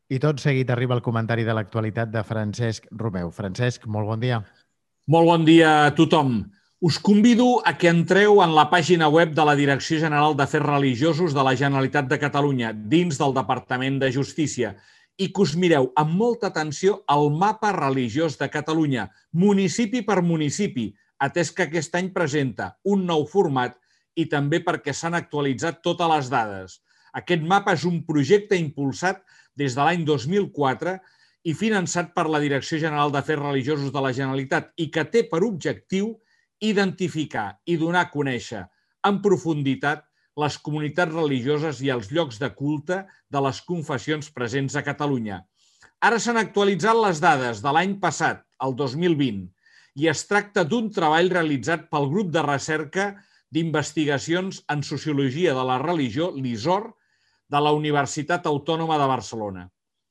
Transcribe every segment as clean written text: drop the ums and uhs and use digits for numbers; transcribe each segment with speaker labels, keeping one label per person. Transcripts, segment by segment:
Speaker 1: I tot seguit arriba el comentari de l'actualitat de Francesc Romeu. Francesc, molt bon dia.
Speaker 2: Molt bon dia a tothom. Us convido a que entreu en la pàgina web de la Direcció General d'Afers Religiosos de la Generalitat de Catalunya, dins del Departament de Justícia, i que us mireu amb molta atenció el mapa religiós de Catalunya, municipi per municipi, atès que aquest any presenta un nou format i també perquè s'han actualitzat totes les dades. Aquest mapa és un projecte impulsat des de l'any 2004 i finançat per la Direcció General d'Afers Religiosos de la Generalitat i que té per objectiu identificar i donar a conèixer en profunditat les comunitats religioses i els llocs de culte de les confessions presents a Catalunya. Ara s'han actualitzat les dades de l'any passat, el 2020, i es tracta d'un treball realitzat pel grup de recerca d'investigacions en sociologia de la religió, l'ISOR, de la Universitat Autònoma de Barcelona.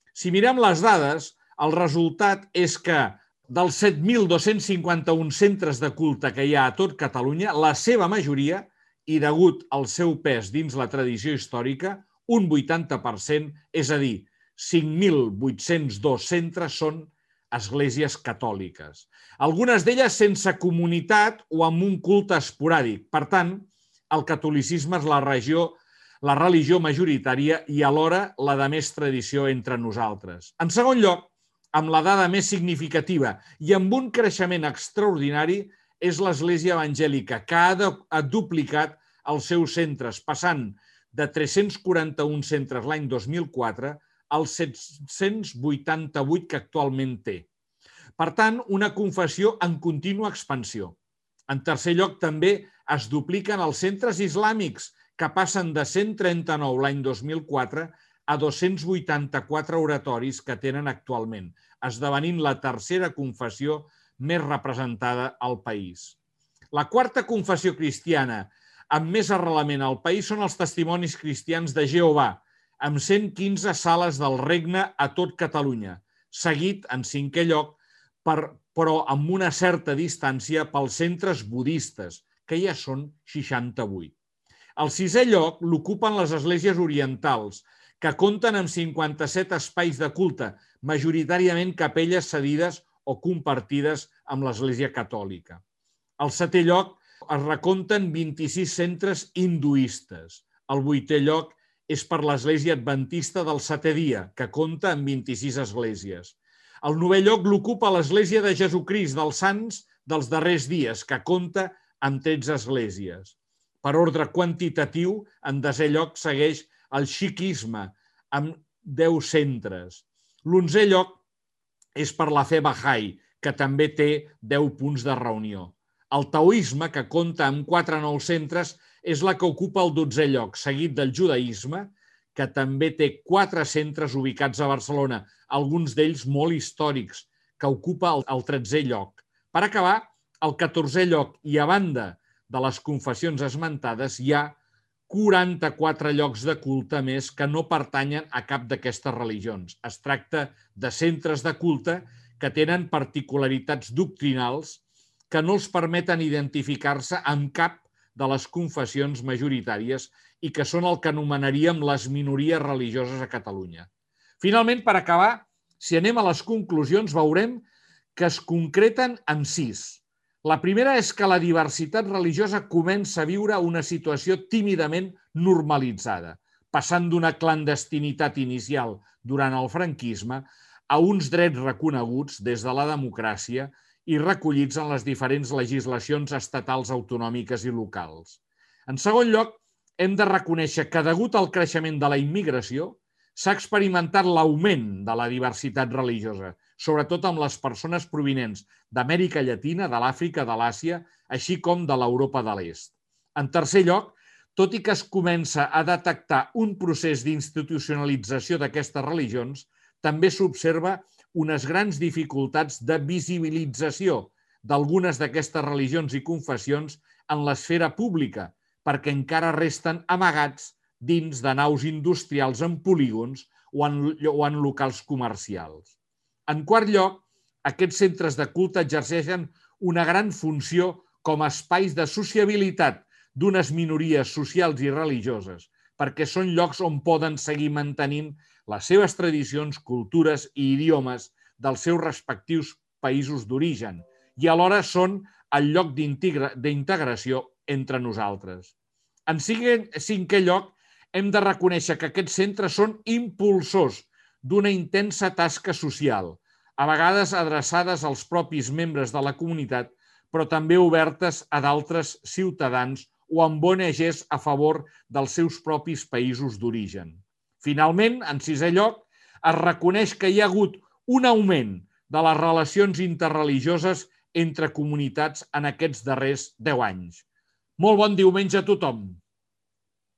Speaker 2: Si mirem les dades, el resultat és que dels 7.251 centres de culte que hi ha a tot Catalunya, la seva majoria, i degut al seu pes dins la tradició històrica, un 80%, és a dir, 5.802 centres són esglésies catòliques. Algunes d'elles sense comunitat o amb un culte esporàdic. Per tant, el catolicisme és la religió majoritària i alhora la de més tradició entre nosaltres. En segon lloc, amb la dada més significativa i amb un creixement extraordinari, és l'Església Evangèlica, que ha duplicat els seus centres, passant de 341 centres l'any 2004 als 788 que actualment té. Per tant, una confessió en contínua expansió. En tercer lloc, també es dupliquen els centres islàmics, que passen de 139 l'any 2004 a 284 oratoris que tenen actualment, esdevenint la tercera confessió més representada al país. La quarta confessió cristiana amb més arrelament al país són els testimonis cristians de Jehovà, amb 115 sales del regne a tot Catalunya, seguit, en cinquè lloc, però amb una certa distància pels centres budistes, que ja són 68. Al sisè lloc l'ocupen les esglésies orientals, que compten amb 57 espais de culte, majoritàriament capelles cedides o compartides amb l'Església Catòlica. Al setè lloc es recompten 26 centres hinduistes. El vuitè lloc és per l'Església Adventista del Setè Dia, que compta amb 26 esglésies. El novè lloc l'ocupa l'Església de Jesucrist dels Sants dels Darrers Dies, que compta amb 13 esglésies. Per ordre quantitatiu, en desè lloc segueix el xiquisme, amb 10 centres. L'onzè lloc és per la fe Bahá'í, que també té 10 punts de reunió. El taoisme, que compta amb 4 nous centres, és la que ocupa el 12è lloc, seguit del judaïsme, que també té 4 centres ubicats a Barcelona, alguns d'ells molt històrics, que ocupa el 13è lloc. Per acabar, el 14è lloc, i a banda de les confessions esmentades, hi ha 44 llocs de culte més que no pertanyen a cap d'aquestes religions. Es tracta de centres de culte que tenen particularitats doctrinals que no els permeten identificar-se amb cap de les confessions majoritàries i que són el que anomenaríem les minories religioses a Catalunya. Finalment, per acabar, si anem a les conclusions, veurem que es concreten en 6. La primera és que la diversitat religiosa comença a viure una situació tímidament normalitzada, passant d'una clandestinitat inicial durant el franquisme a uns drets reconeguts des de la democràcia i recollits en les diferents legislacions estatals, autonòmiques i locals. En segon lloc, hem de reconèixer que, degut al creixement de la immigració, s'ha experimentat l'augment de la diversitat religiosa, sobretot amb les persones provinents d'Amèrica Llatina, de l'Àfrica, de l'Àsia, així com de l'Europa de l'Est. En tercer lloc, tot i que es comença a detectar un procés d'institucionalització d'aquestes religions, també s'observa unes grans dificultats de visibilització d'algunes d'aquestes religions i confessions en l'esfera pública, perquè encara resten amagats dins de naus industrials en polígons o en locals comercials. En quart lloc, aquests centres de culte exerceixen una gran funció com a espais de sociabilitat d'unes minories socials i religioses, perquè són llocs on poden seguir mantenint les seves tradicions, cultures i idiomes dels seus respectius països d'origen i alhora són el lloc d'integració entre nosaltres. En cinquè lloc, hem de reconèixer que aquests centres són impulsors d'una intensa tasca social, a vegades adreçades als propis membres de la comunitat, però també obertes a d'altres ciutadans o amb ONGs a favor dels seus propis països d'origen. Finalment, en sisè lloc, es reconeix que hi ha hagut un augment de les relacions interreligioses entre comunitats en aquests darrers 10 anys. Molt bon diumenge a tothom!